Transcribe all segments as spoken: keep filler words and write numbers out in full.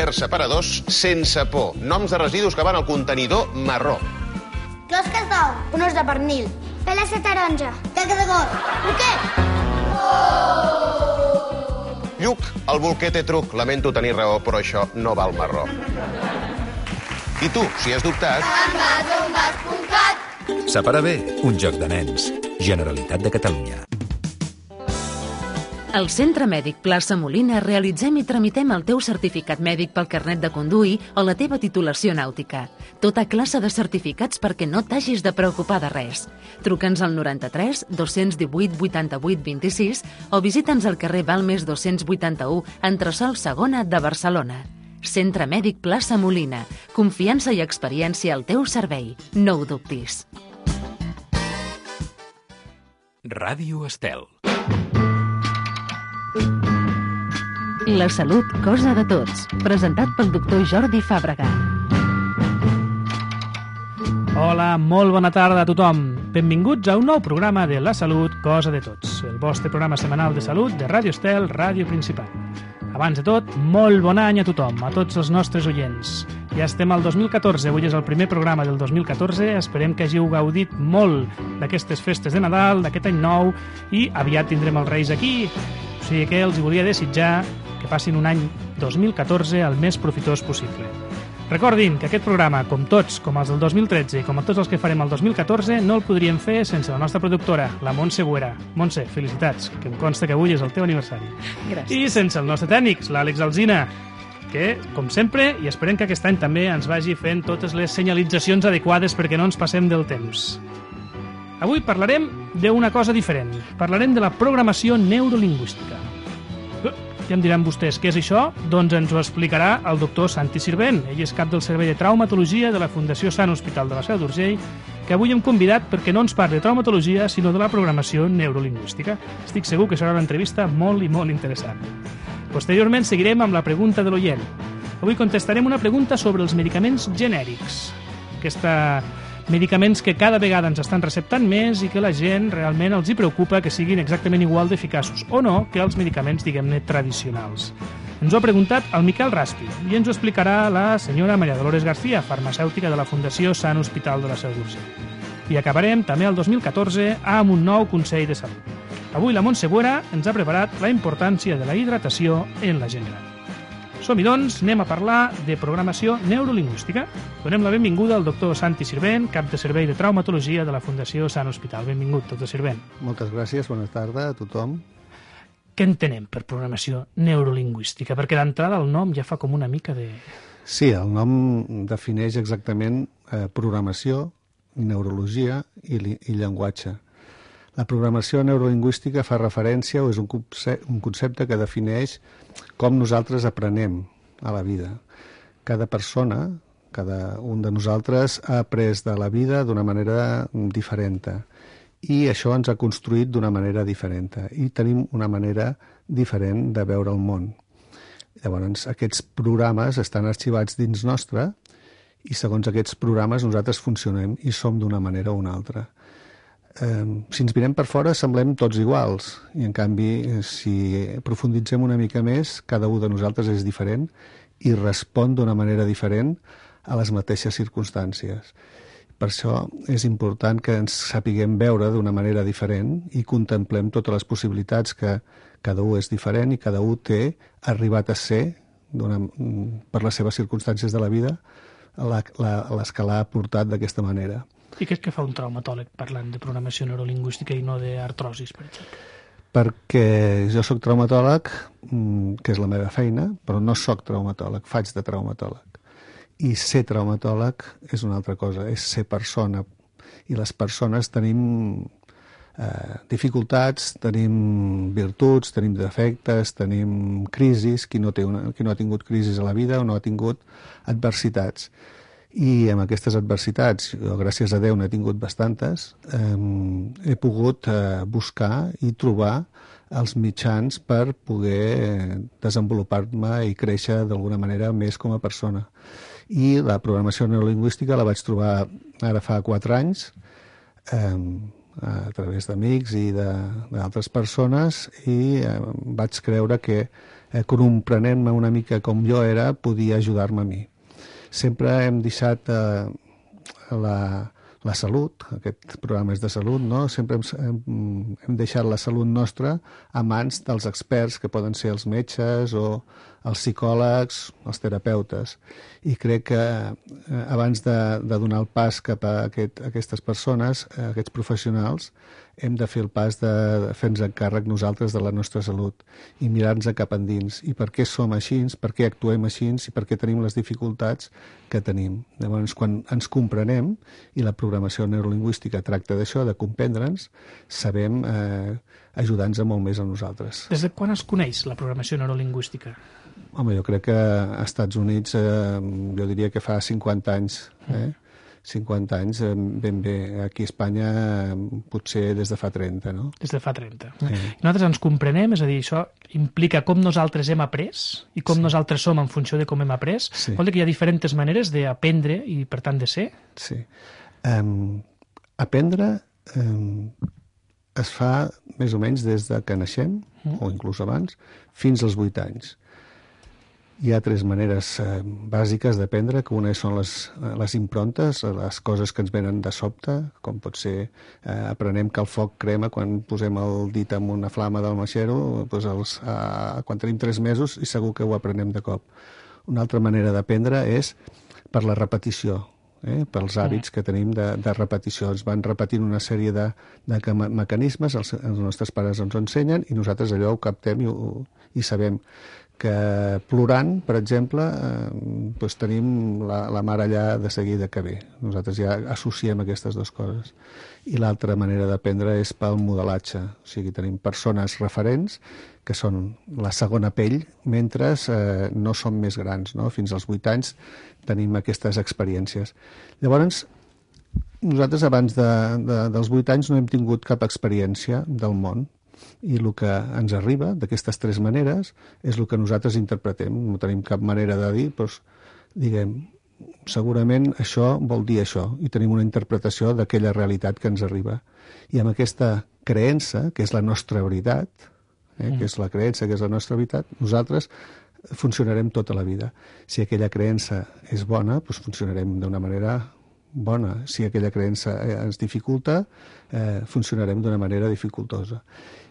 tupperwares separadors sense por. Noms de residus que van al contenidor marró. Closques d'ou, un os de pernil, peles de taronja, caca de got, bolquer! Lluc, el bolquer té truc. Lamento tenir raó, però això no val marró. I tu, si has dubtat... envasombas punt cat. Separa bé, un joc de nens. Generalitat de Catalunya. Al Centre Mèdic Plaça Molina realitzem i tramitem el teu certificat mèdic pel carnet de conduir o la teva titulació nàutica. Tota classe de certificats perquè no t'hagis de preocupar de res. Truca'ns al noranta-tres dos cents divuit vuitanta-vuit vint-i-sis o visita'ns al carrer Balmes dos-cents vuitanta-u, entresòl segona de Barcelona. Centre Mèdic Plaça Molina. Confiança i experiència al teu servei. No ho dubtis. Ràdio Estel. La salut, cosa de tots. Presentat pel doctor Jordi Fàbrega. Hola, molt bona tarda a tothom. Benvinguts a un nou programa de La Salut, cosa de tots. El vostre programa setmanal de salut de Ràdio Estel, ràdio principal. Abans de tot, molt bon any a tothom, a tots els nostres oients. Ja estem al dos mil catorze, avui és el primer programa del dos mil catorze. Esperem que hàgiu gaudit molt d'aquestes festes de Nadal, d'aquest any nou, i aviat tindrem els Reis aquí. O sigui que els volia desitjar que passin un any dos mil catorze el més profitós possible. Recordin que aquest programa, com tots, com els del dos mil tretze i com tots els que farem el dos mil catorze, no el podríem fer sense la nostra productora, la Montse Buera. Montse, felicitats, que em consta que avui és el teu aniversari. Gràcies. I sense el nostre tècnic, l'Àlex Alsina, que, com sempre, i esperem que aquest any també ens vagi fent totes les senyalitzacions adequades perquè no ens passem del temps. Avui parlarem d'una cosa diferent. Parlarem de la programació neurolingüística. Ja em diran vostès, què és això? Doncs ens ho explicarà el doctor Santi Sirvent. Ell és cap del Servei de Traumatologia de la Fundació Sant Hospital de la Seu d'Urgell, que avui hem convidat perquè no ens parli de traumatologia, sinó de la programació neurolingüística. Estic segur que serà una entrevista molt i molt interessant. Posteriorment seguirem amb la pregunta de l'oient. Avui contestarem una pregunta sobre els medicaments genèrics. Aquesta medicaments que cada vegada ens estan receptant més i que la gent realment els hi preocupa que siguin exactament igual d'eficaços o no que els medicaments, diguem-ne, tradicionals. Ens ho ha preguntat el Miquel Raspi i ens ho explicarà la senyora Maria Dolores García, farmacèutica de la Fundació Sant Hospital de la Seu d'Urgell. I acabarem també el dos mil catorze amb un nou Consell de Salut. Avui la Montse Buera ens ha preparat la importància de la hidratació en la gent gran. Som-hi, doncs, anem a parlar de programació neurolingüística. Donem la benvinguda al doctor Santi Sirvent, cap de Servei de Traumatologia de la Fundació Sant Hospital. Benvingut, doctor Sirvent. Moltes gràcies, bona tarda a tothom. Què entenem per programació neurolingüística? Perquè d'entrada el nom ja fa com una mica de... Sí, el nom defineix exactament eh, programació, neurologia i, i llenguatge. La programació neurolingüística fa referència o és un concepte, un concepte que defineix com nosaltres aprenem a la vida. Cada persona, cada un de nosaltres ha après de la vida d'una manera diferent i això ens ha construït d'una manera diferent i tenim una manera diferent de veure el món. Llavors, aquests programes estan arxivats dins nostre i segons aquests programes nosaltres funcionem i som d'una manera o una altra. Eh, si ens mirem per fora semblem tots iguals i en canvi si profunditzem una mica més cada un de nosaltres és diferent i respon d'una manera diferent a les mateixes circumstàncies. Per això és important que ens sapiguem veure d'una manera diferent i contemplem totes les possibilitats que cada un és diferent i cada un té arribat a ser per les seves circumstàncies de la vida la, la, les que l'ha portat d'aquesta manera. I què és que fa un traumatòleg parlant de programació neurolingüística i no d'artrosis, per exemple? Perquè jo sóc traumatòleg, que és la meva feina, però no sóc traumatòleg, faig de traumatòleg. I ser traumatòleg és una altra cosa, és ser persona. I les persones tenim eh, dificultats, tenim virtuts, tenim defectes, tenim crisis, qui no, té una, qui no ha tingut crisis a la vida o no ha tingut adversitats. I amb aquestes adversitats, jo, gràcies a Déu n'he tingut bastantes, eh, he pogut eh, buscar i trobar els mitjans per poder desenvolupar-me i créixer d'alguna manera més com a persona. I la programació neurolingüística la vaig trobar ara fa quatre anys, eh, a través d'amics i d'altres persones, i eh, vaig creure que eh, comprenent-me una mica com jo era, podia ajudar-me a mi. Sempre hem deixat eh, la, la salut, aquest programa és de salut, no? Sempre hem, hem, hem deixat la salut nostra a mans dels experts, que poden ser els metges o els psicòlegs, els terapeutes. I crec que eh, abans de, de donar el pas cap a, aquest, a aquestes persones, a aquests professionals, hem de fer el pas de fer-nos encàrrec nosaltres de la nostra salut i mirar-nos cap endins. I per què som així, per què actuem així i per què tenim les dificultats que tenim. Llavors, quan ens comprenem, i la programació neurolingüística tracta d'això, de comprendre'ns, sabem eh, ajudar-nos molt més a nosaltres. Des de quan es coneix la programació neurolingüística? Home, jo crec que als Estats Units, eh, jo diria que fa cinquanta anys, eh? cinquanta anys, ben bé. Aquí a Espanya potser des de fa trenta, no? Des de fa trenta. Sí. I nosaltres ens comprenem, és a dir, això implica com nosaltres hem après i com sí. nosaltres som en funció de com hem après. Sí. Vol dir que hi ha diferents maneres d'aprendre i, per tant, de ser? Sí. Um, aprendre um, es fa més o menys des de que naixem, mm. o inclús abans, fins als vuit anys. Hi ha tres maneres eh, bàsiques d'aprendre, que una són les, les improntes, les coses que ens venen de sobte, com pot ser, eh, aprenem que el foc crema quan posem el dit en una flama del maixero, doncs els, eh, quan tenim tres mesos i segur que ho aprenem de cop. Una altra manera d'aprendre és per la repetició, eh, pels hàbits que tenim de, de repetició. Ens van repetint una sèrie de, de mecanismes, els, els nostres pares ens ho ensenyen i nosaltres allò ho captem i, ho, i sabem que plorant, per exemple, eh, doncs tenim la, la mare allà de seguida que ve. Nosaltres ja associem aquestes dues coses. I l'altra manera d'aprendre és pel modelatge. O sigui, tenim persones referents, que són la segona pell, mentre eh, no som més grans, no? Fins als vuit anys tenim aquestes experiències. Llavors, nosaltres abans de, de, dels vuit anys no hem tingut cap experiència del món, i el que ens arriba d'aquestes tres maneres és el que nosaltres interpretem. No tenim cap manera de dir, doncs, diguem, segurament això vol dir això, i tenim una interpretació d'aquella realitat que ens arriba. I amb aquesta creença, que és la nostra veritat, eh, que és la creença, que és la nostra veritat, nosaltres funcionarem tota la vida. Si aquella creença és bona, doncs funcionarem d'una manera bona. Si aquella creença ens dificulta, eh, funcionarem d'una manera dificultosa.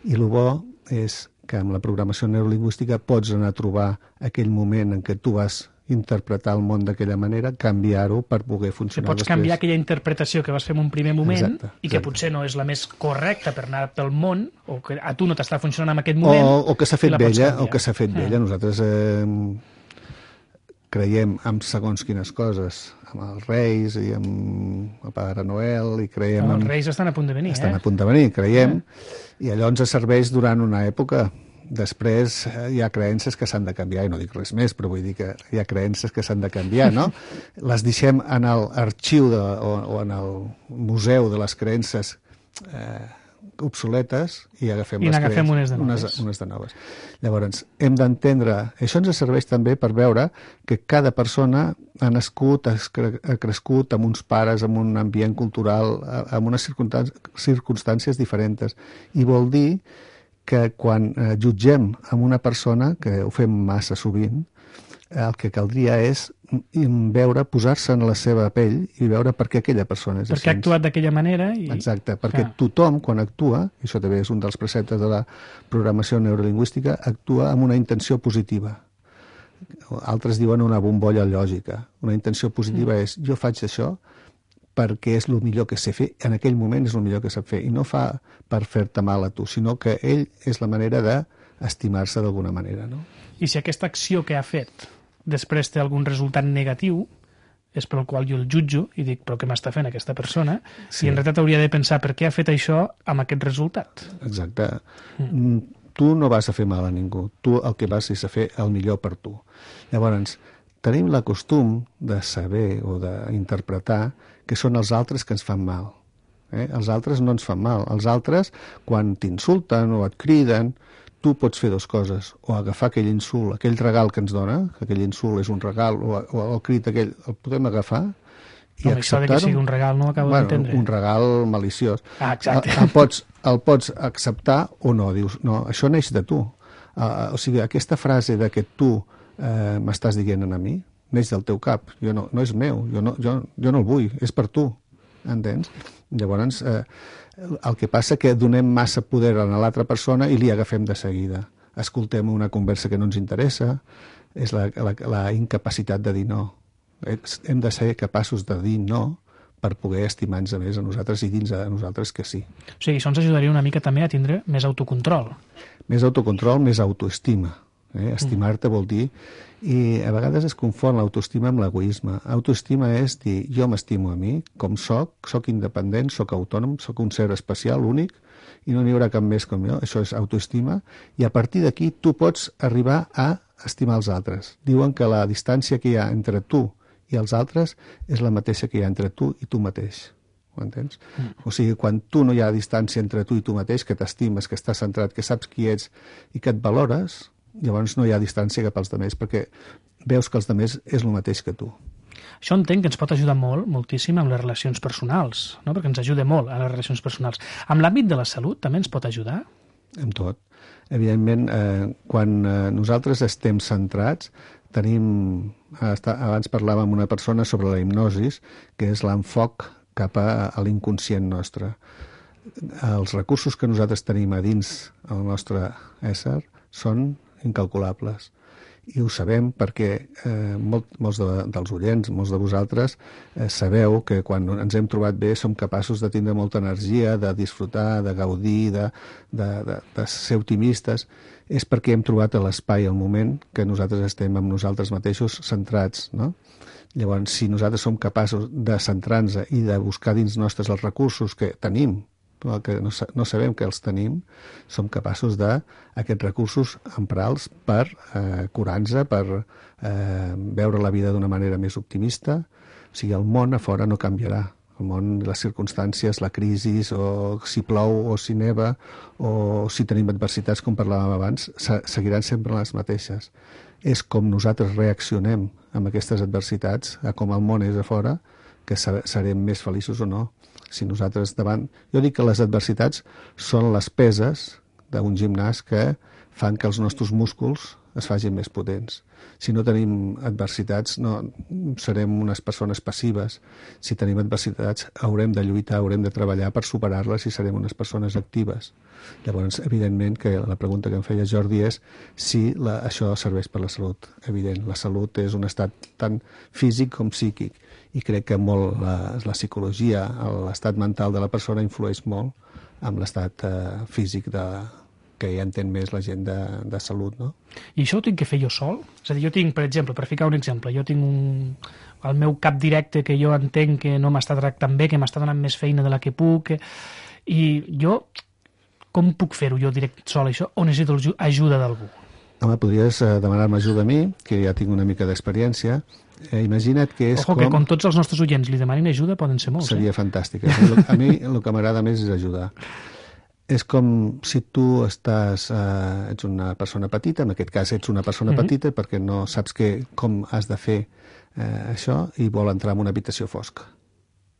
I el bo és que amb la programació neurolingüística pots anar a trobar aquell moment en què tu vas interpretar el món d'aquella manera, canviar-ho per poder funcionar pots després. Pots canviar aquella interpretació que vas fer en un primer moment, exacte, i que exacte. potser no és la més correcta per anar pel món, o que a tu no t'està funcionant en aquest moment. O, o que s'ha fet vella, o que s'ha fet vella. Mm. Nosaltres eh, creiem en segons quines coses, amb els Reis i amb el Pare Noel, i creiem... No, els en... Reis estan a punt de venir, estan eh? a punt de venir, creiem, eh? I allò ens serveix durant una època. Després hi ha creences que s'han de canviar, i no dic res més, però vull dir que hi ha creences que s'han de canviar, no? Les deixem en l'arxiu de, o, o en el museu de les creences eh, obsoletes i agafem I les n'agafem creences, unes de noves. Unes, unes de noves. Llavors, hem d'entendre... Això ens serveix també per veure que cada persona ha nascut, ha crescut amb uns pares, amb un ambient cultural, amb unes circumstàncies diferents. I vol dir que quan eh, jutgem amb una persona, que ho fem massa sovint, el que caldria és veure, posar-se en la seva pell i veure per què aquella persona és així. Perquè ha actuat d'aquella manera. I... Exacte, perquè ah. tothom, quan actua, i això també és un dels preceptes de la programació neurolingüística, actua amb una intenció positiva. Altres diuen una bombolla lògica. Una intenció positiva mm. és, jo faig això perquè és el millor que sé fer, en aquell moment és el millor que sap fer, i no fa per fer-te mal a tu, sinó que ell és la manera d'estimar-se d'alguna manera, no? I si aquesta acció que ha fet després té algun resultat negatiu, és pel qual jo el jutjo i dic, però què m'està fent aquesta persona? Sí. I en realitat hauria de pensar per què ha fet això amb aquest resultat. Exacte. Mm. Tu no vas a fer mal a ningú, tu el que vas és a fer el millor per tu. Llavors, tenim la costum de saber o d'interpretar que són els altres que ens fan mal. Eh? Els altres no ens fan mal. Els altres, quan t'insulten o et criden, tu pots fer dues coses. O agafar aquell insult, aquell regal que ens dona, que aquell insult és un regal, o, o el crit aquell, el podem agafar i no, acceptar-ho. Que sigui un regal no ho acabo bueno, d'entendre. Un regal maliciós. Ah, exacte. El, el, pots, el pots acceptar o no. Dius, no, això neix de tu. Uh, o sigui, aquesta frase de que tu uh, m'estàs dient a mi, neix del teu cap, jo no, no és meu, jo no, jo, jo no el vull, és per tu, entens? Llavors, eh, el que passa que donem massa poder a l'altra persona i li agafem de seguida. Escoltem una conversa que no ens interessa, és la, la, la incapacitat de dir no. Hem de ser capaços de dir no per poder estimar-nos més a nosaltres i dins a nosaltres que sí. O sigui, això ens ajudaria una mica també a tindre més autocontrol. Més autocontrol, més autoestima. Eh? Estimar-te vol dir... I a vegades es confon l'autoestima amb l'egoisme. Autoestima és dir, jo m'estimo a mi, com soc, soc independent, soc autònom, soc un ser especial, únic, i no n'hi haurà cap més com jo. Això és autoestima. I a partir d'aquí tu pots arribar a estimar els altres. Diuen que la distància que hi ha entre tu i els altres és la mateixa que hi ha entre tu i tu mateix. Ho entens? Mm. O sigui, quan tu no hi ha distància entre tu i tu mateix, que t'estimes, que estàs centrat, que saps qui ets i que et valores, llavors no hi ha distància cap als altres, perquè veus que els altres és el mateix que tu. Això entenc que ens pot ajudar molt, moltíssim, amb les relacions personals, no? Perquè ens ajuda molt a les relacions personals. Amb l'àmbit de la salut també ens pot ajudar? Amb tot. Evidentment, eh, quan eh, nosaltres estem centrats, tenim... Abans parlàvem amb una persona sobre la hipnosi, que és l'enfoc cap a, a l'inconscient nostre. Els recursos que nosaltres tenim a dins el nostre ésser són incalculables. I ho sabem perquè eh, molt, molts de, dels oients, molts de vosaltres, eh, sabeu que quan ens hem trobat bé som capaços de tindre molta energia, de disfrutar, de gaudir, de, de, de, de ser optimistes. És perquè hem trobat l'espai, el moment que nosaltres estem amb nosaltres mateixos centrats, no? Llavors, si nosaltres som capaços de centrar-nos i de buscar dins nostres els recursos que tenim, que no, no sabem que els tenim, som capaços de aquests recursos emprar-los per eh, curar-nos, per eh, veure la vida d'una manera més optimista. O sigui, el món a fora no canviarà. El món, les circumstàncies, la crisi, o si plou o si neva, o si tenim adversitats, com parlàvem abans, seguiran sempre les mateixes. És com nosaltres reaccionem amb aquestes adversitats, a com el món és a fora, que serem més feliços o no. Si nosaltres davant... Jo dic que les adversitats són les peses d'un gimnàs que fan que els nostres músculs es facin més potents. Si no tenim adversitats, no serem unes persones passives. Si tenim adversitats, haurem de lluitar, haurem de treballar per superar-les i serem unes persones actives. Llavors, evidentment, que la pregunta que em feia Jordi és si la, això serveix per la salut. Evident, la salut és un estat tant físic com psíquic. I crec que molt la, la psicologia, l'estat mental de la persona influeix molt amb l'estat eh, físic de, que ja entén més la gent de, de salut, no? I això ho tinc que fer jo sol? És a dir, jo tinc, per exemple, per ficar un exemple, jo tinc un, el meu cap directe que jo entenc que no m'està tractant bé, que m'està donant més feina de la que puc, que... i jo, com puc fer-ho jo direct sol, això, o necessito ajuda d'algú? Home, podries eh, demanar-me ajuda a mi, que ja tinc una mica d'experiència. Eh, imagina't que és Ojo, com... que com tots els nostres oients li demanin ajuda, poden ser molts. Seria eh? fantàstic. A mi el que m'agrada més és ajudar. És com si tu estàs, eh, ets una persona petita, en aquest cas ets una persona mm-hmm. petita perquè no saps que, com has de fer eh, això i vol entrar en una habitació fosca.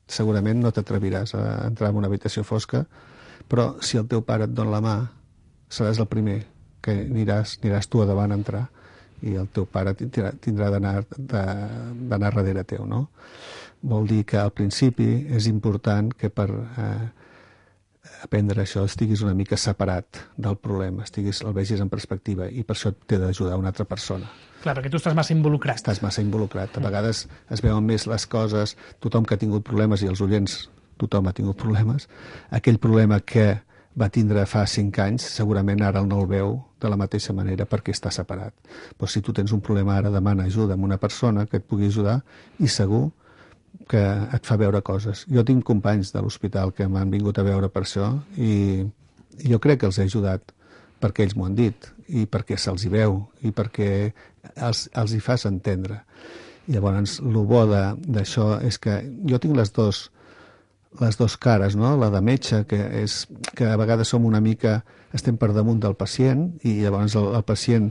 Segurament no t'atreviràs a entrar en una habitació fosca, però si el teu pare et dona la mà, seràs el primer que aniràs, aniràs tu a davant a entrar i el teu pare tindrà, tindrà d'anar d'anar darrere teu, no? Vol dir que al principi és important que per eh, aprendre això estiguis una mica separat del problema, estiguis, el vegis en perspectiva i per això t'he d'ajudar una altra persona. Clar, perquè tu estàs massa involucrat. Estàs massa involucrat. A vegades es veuen més les coses, tothom que ha tingut problemes i els oients, tothom ha tingut problemes, aquell problema que va tindre fa cinc anys, segurament ara no el veu de la mateixa manera perquè està separat. Però si tu tens un problema ara, demana ajuda amb una persona que et pugui ajudar i segur que et fa veure coses. Jo tinc companys de l'hospital que m'han vingut a veure per això i jo crec que els he ajudat perquè ells m'ho han dit i perquè se'ls hi veu i perquè els, els hi fas entendre. I llavors, el bo d'això és que jo tinc les dos les dues cares, no? La de metge, que és que a vegades som una mica, estem per damunt del pacient i llavors el, el pacient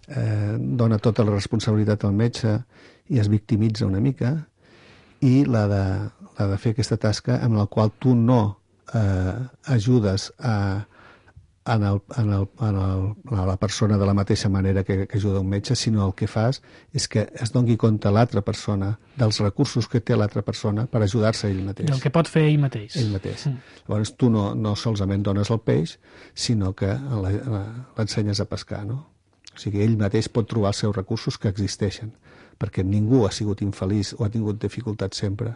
eh, dona tota la responsabilitat al metge i es victimitza una mica, i la de, la de fer aquesta tasca en la qual tu no eh, ajudes a, en, el, en, el, en, el, en la persona de la mateixa manera que, que ajuda un metge, sinó el que fas és que es doni compte l'altra persona dels recursos que té l'altra persona per ajudar-se ell mateix. Del que pot fer ell mateix. Ell mateix. Mm. Llavors tu no, no solament dones el peix, sinó que l'ensenyes a pescar, no? O sigui, ell mateix pot trobar els seus recursos que existeixen, perquè ningú ha sigut infeliç o ha tingut dificultats sempre,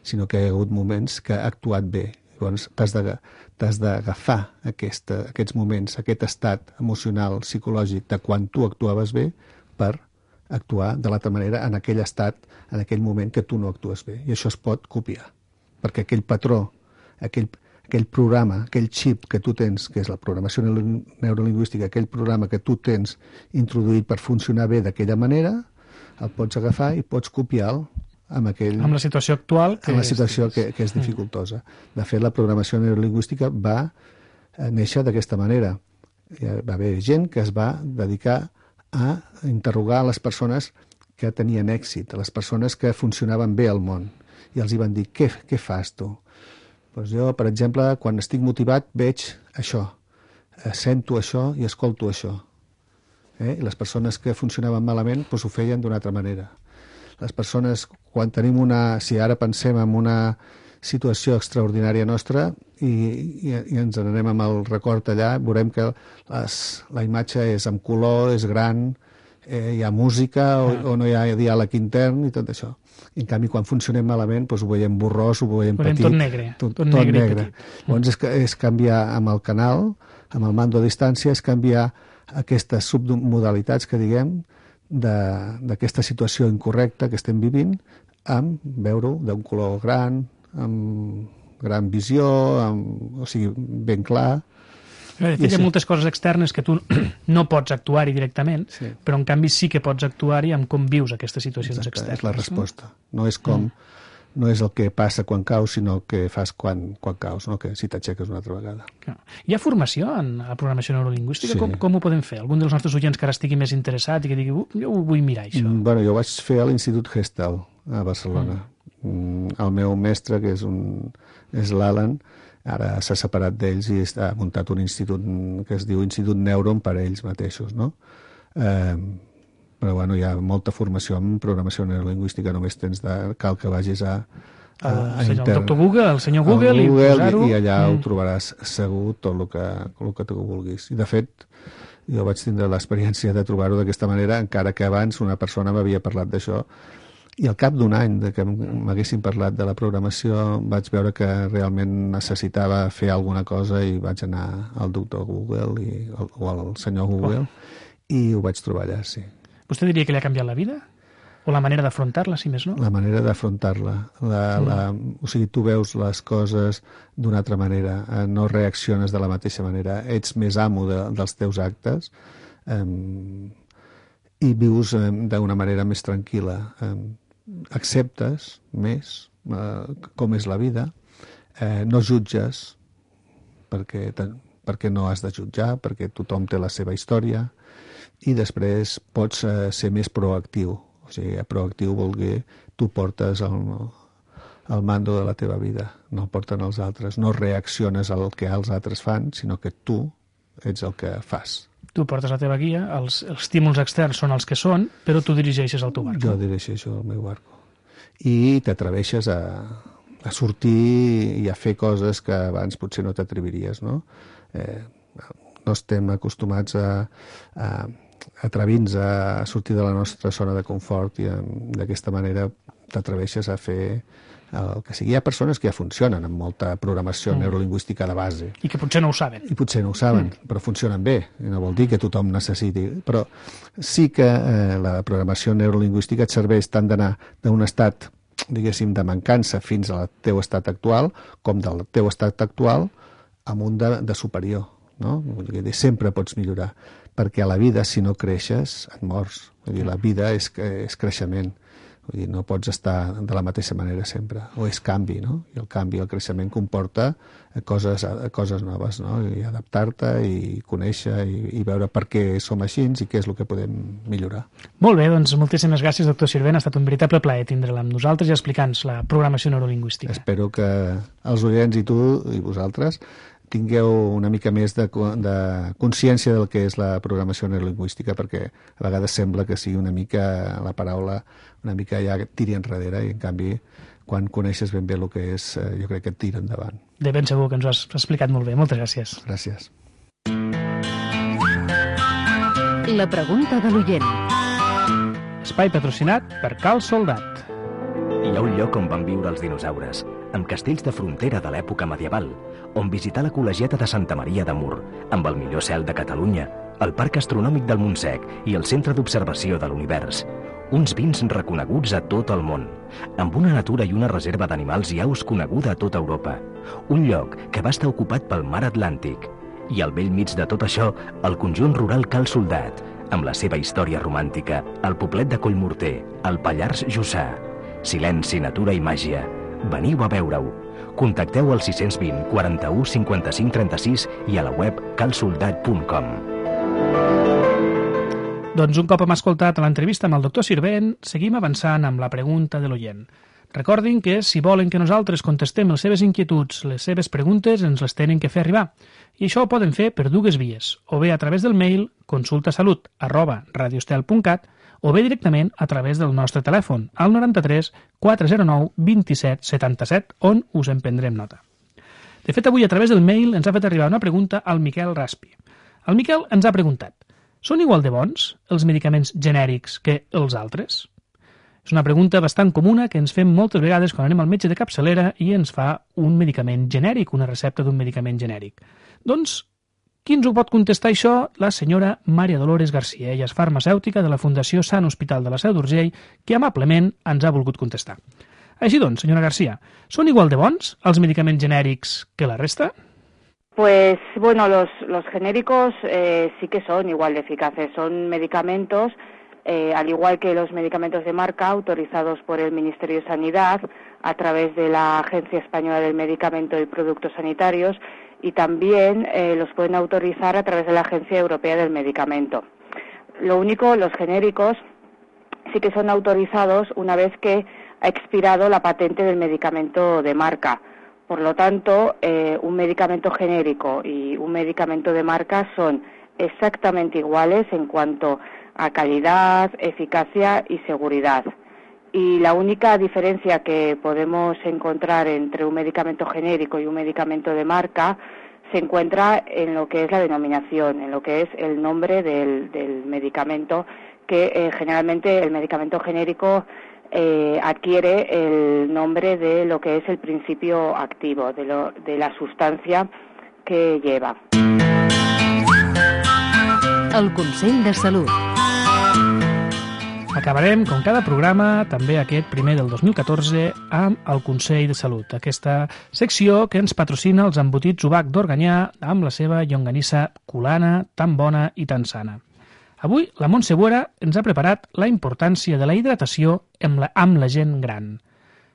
sinó que hi ha hagut moments que ha actuat bé. Llavors t'has d'agafar aquesta, aquests moments, aquest estat emocional, psicològic de quan tu actuaves bé per actuar de l'altra manera en aquell estat, en aquell moment que tu no actues bé. I això es pot copiar, perquè aquell patró, aquell, aquell programa, aquell xip que tu tens, que és la programació neurolingüística, aquell programa que tu tens introduït per funcionar bé d'aquella manera, el pots agafar i pots copiar-lo amb, aquell, amb la situació actual que amb la situació és, que, que és dificultosa. De fet, la programació neurolingüística va néixer d'aquesta manera. Va haver gent que es va dedicar a interrogar les persones que tenien èxit, a les persones que funcionaven bé al món, i els hi van dir, què, què fas tu? Doncs jo, per exemple, quan estic motivat veig això, sento això i escolto això. Eh? I les persones que funcionaven malament doncs ho feien d'una altra manera. Les persones, quan tenim una... Si ara pensem en una situació extraordinària nostra i, i, i ens n'anem amb el record allà, veurem que les, la imatge és amb color, és gran, eh, hi ha música o, o no hi ha diàleg intern i tot això. I, en canvi, quan funcionem malament, doncs ho veiem borrós, ho veiem petit. Tot negre. Tot, tot, tot negre, negre. Llavors és, és canviar amb el canal, amb el mando a distància, és canviar aquestes submodalitats que diguem, d'aquesta situació incorrecta que estem vivint, amb veure-ho d'un color gran, amb gran visió, amb, o sigui, ben clar. De fet, hi ha moltes coses externes que tu no pots actuar-hi directament, sí. Però en canvi sí que pots actuar-hi amb com vius aquestes situacions Exacte, externes. És la resposta. No és com... Mm. No és el que passa quan caus, sinó el que fas quan, quan caus, no? Que si t'aixeques una altra vegada. Hi ha formació en la programació neurolingüística? Sí. Com, com ho podem fer? Algun dels nostres oients que ara estigui més interessat i que digui, uh, jo ho vull mirar, això. Mm, bueno, jo vaig fer a l'Institut Gestal, a Barcelona. Mm. Mm, el meu mestre, que és, un, és l'Alan, ara s'ha separat d'ells i ha muntat un institut que es diu Institut Neuron per a ells mateixos, no? Eh, però bueno, hi ha molta formació en programació neurolingüística, només tens de, cal que vagis a, a, a el, internet. El doctor Google, el senyor Google, Google i posar-ho. I, i allà mm. ho trobaràs segur tot el que, el que tu vulguis. I de fet, jo vaig tindre l'experiència de trobar-ho d'aquesta manera, encara que abans una persona m'havia parlat d'això, i al cap d'un any de que m'haguessin parlat de la programació vaig veure que realment necessitava fer alguna cosa i vaig anar al doctor Google i, o al senyor Google oh. i ho vaig trobar allà, sí. Vostè diria que li ha canviat la vida? O la manera d'afrontar-la, si més no? La manera d'afrontar-la. La, mm. la, o sigui, tu veus les coses d'una altra manera, eh, no reacciones de la mateixa manera, ets més amo de, dels teus actes eh, i vius eh, d'una manera més tranquil·la. Eh, acceptes més eh, com és la vida, eh, no jutges perquè, perquè no has de jutjar, perquè tothom té la seva història, i després pots eh, ser més proactiu. O sigui, proactiu vol dir tu portes el, el mando de la teva vida, no el porten els altres. No reacciones al que els altres fan, sinó que tu ets el que fas. Tu portes la teva guia, els, els estímuls externs són els que són, però tu dirigeixes el teu barco. Jo dirigeixo el meu barco. I t'atreveixes a, a sortir i a fer coses que abans potser no t'atreviries, no? Eh, no estem acostumats a... a atrevint-nos a sortir de la nostra zona de confort i d'aquesta manera t'atreveixes a fer el que sigui. Hi ha persones que ja funcionen amb molta programació mm. neurolingüística de base. I que potser no ho saben. I potser no ho saben, mm. però funcionen bé. I no vol dir que tothom necessiti. Però sí que eh, la programació neurolingüística et serveix tant d'anar d'un estat, diguéssim, de mancança fins al teu estat actual, com del teu estat actual amb un de, de superior. No? Vull dir, sempre pots millorar, perquè a la vida, si no creixes, et mors. Vull dir, la vida és, és creixement. Vull dir, no pots estar de la mateixa manera sempre. O és canvi, no? I el canvi, el creixement comporta coses, coses noves, no? I adaptar-te i conèixer i, i veure per què som així i què és el que podem millorar. Molt bé, doncs moltíssimes gràcies, doctor Sirvent. Ha estat un veritable plaer tindre-la amb nosaltres i explicar-nos la programació neurolingüística. Espero que els oients i tu i vosaltres tingueu una mica més de, de consciència del que és la programació neurolingüística, perquè a vegades sembla que sigui una mica la paraula, una mica ja tiri enrere, i en canvi quan coneixes ben bé el que és, jo crec que et tira endavant. De ben segur que ens ho has explicat molt bé. Moltes gràcies. Gràcies. La pregunta de l'oient. Espai patrocinat per Cal Soldat. Hi ha un lloc on van viure els dinosaures, amb castells de frontera de l'època medieval, on visitar la col·legiata de Santa Maria de Mur, amb el millor cel de Catalunya, el Parc Astronòmic del Montsec i el Centre d'Observació de l'Univers. Uns vins reconeguts a tot el món, amb una natura i una reserva d'animals i aus coneguda a tota Europa. Un lloc que va estar ocupat pel mar Atlàntic. I al vell mig de tot això, el conjunt rural Cal Soldat, amb la seva història romàntica, el poblet de Collmorter, el Pallars Jussà. Silenci, natura i màgia. Veniu a veure-ho. Contacteu al sis vint, quaranta-u, cinquanta-cinc, trenta-sis i a la web cal soldat punt com. Doncs un cop hem escoltat l'entrevista amb el doctor Sirvent, seguim avançant amb la pregunta de l'oient. Recordin que si volen que nosaltres contestem les seves inquietuds, les seves preguntes, ens les tenen que fer arribar. I això ho poden fer per dues vies, o bé a través del mail consultasalut arroba radiostel punt cat o bé directament a través del nostre telèfon, al noranta-tres quatre zero nou vint-i-set setanta-set, on us en prendrem nota. De fet, avui a través del mail ens ha fet arribar una pregunta al Miquel Raspi. El Miquel ens ha preguntat: són igual de bons els medicaments genèrics que els altres? És una pregunta bastant comuna que ens fem moltes vegades quan anem al metge de capçalera i ens fa un medicament genèric, una recepta d'un medicament genèric. Doncs, qui ens ho pot contestar això? La senyora Maria Dolores García. Ella és farmacèutica de la Fundació Sant Hospital de la Seu d'Urgell, que amablement ens ha volgut contestar. Així doncs, senyora García, són igual de bons els medicaments genèrics que la resta? Pues, bueno, los, los genéricos eh, sí que son igual de eficaces. Son medicamentos, eh, al igual que los medicamentos de marca, autorizados por el Ministerio de Sanidad a través de la Agencia Española del Medicamento y Productos Sanitarios, y también eh, los pueden autorizar a través de la Agencia Europea del Medicamento. Lo único, los genéricos sí que son autorizados una vez que ha expirado la patente del medicamento de marca. Por lo tanto, eh, un medicamento genérico y un medicamento de marca son exactamente iguales en cuanto a calidad, eficacia y seguridad. Y la única diferencia que podemos encontrar entre un medicamento genérico y un medicamento de marca se encuentra en lo que es la denominación, en lo que es el nombre del, del medicamento, que eh, generalmente el medicamento genérico eh, adquiere el nombre de lo que es el principio activo, de, lo, de la sustancia que lleva. El Consell de Salut. Acabarem, com cada programa, també aquest primer del dos mil catorze, amb el Consell de Salut, aquesta secció que ens patrocina els embotits Ubac d'Organyà amb la seva llonganissa culana, tan bona i tan sana. Avui, la Montse Buera ens ha preparat la importància de la hidratació amb la, amb la gent gran.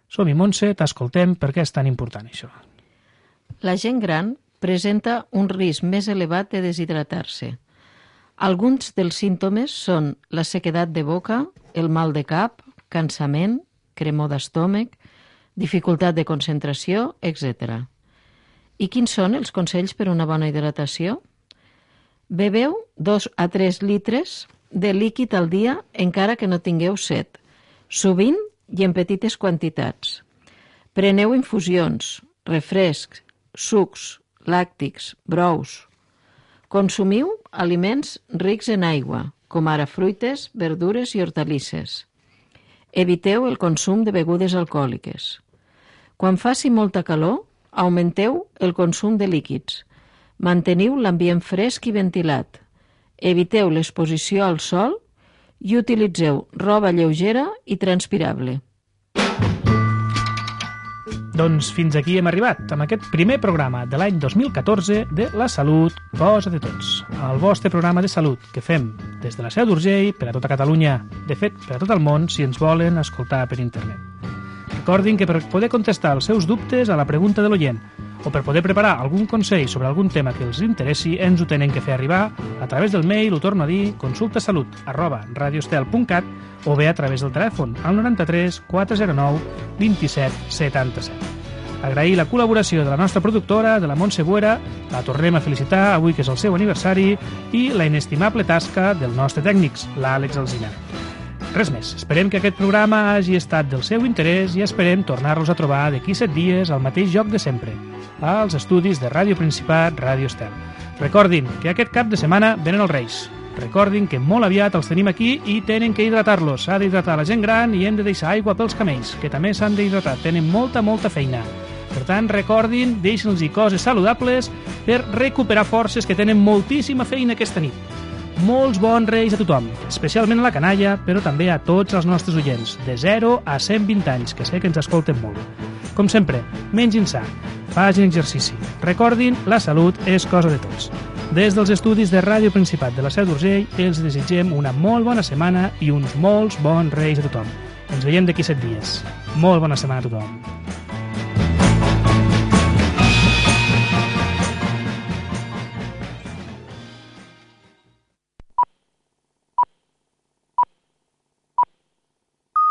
Som-hi, Montse, t'escoltem, per què és tan important això? La gent gran presenta un risc més elevat de deshidratar-se. Alguns dels símptomes són la sequedat de boca, el mal de cap, cansament, cremor d'estómac, dificultat de concentració, etcètera. I quins són els consells per a una bona hidratació? Bebeu dos a tres litres de líquid al dia encara que no tingueu set, sovint i en petites quantitats. Preneu infusions, refrescs, sucs, làctics, brous. Consumiu aliments rics en aigua, com ara fruites, verdures i hortalisses. Eviteu el consum de begudes alcohòliques. Quan faci molta calor, augmenteu el consum de líquids. Manteniu l'ambient fresc i ventilat. Eviteu l'exposició al sol i utilitzeu roba lleugera i transpirable. Doncs fins aquí hem arribat, amb aquest primer programa de l'any dos mil catorze de La Salut, cosa de tots. El vostre programa de salut que fem des de la Seu d'Urgell per a tota Catalunya, de fet, per a tot el món, si ens volen escoltar per internet. Recordin que per poder contestar els seus dubtes a la pregunta de l'oient o per poder preparar algun consell sobre algun tema que els interessi, ens ho tenen que fer arribar a través del mail, ho torno a dir, consultasalut arroba radiostel punt cat o bé a través del telèfon al noranta-tres quatre zero nou vint-i-set setanta-set. Agrair la col·laboració de la nostra productora, de la Montse Buera, la tornem a felicitar avui que és el seu aniversari, i la inestimable tasca del nostre tècnic, l'Àlex Alsina. Res més, esperem que aquest programa hagi estat del seu interès i esperem tornar-los a trobar d'aquí set dies al mateix lloc de sempre, als estudis de Ràdio Principat, Ràdio Estel. Recordin que aquest cap de setmana venen els Reis. Recordin que molt aviat els tenim aquí i tenen que hidratar-los. S'ha d'hidratar la gent gran i hem de deixar aigua pels camells, que també s'han d'hidratar. Tenen molta, molta feina. Per tant, recordin, deixin-los coses saludables per recuperar forces, que tenen moltíssima feina aquesta nit. Molts bons Reis a tothom, especialment a la canalla, però també a tots els nostres oients, de zero a cent vint anys, que sé que ens escolten molt. Com sempre, mengin sa, facin exercici. Recordin, la salut és cosa de tots. Des dels estudis de Ràdio Principat de la Seu d'Urgell, els desitgem una molt bona setmana i uns molts bons Reis a tothom. Ens veiem d'aquí set dies. Molt bona setmana a tothom.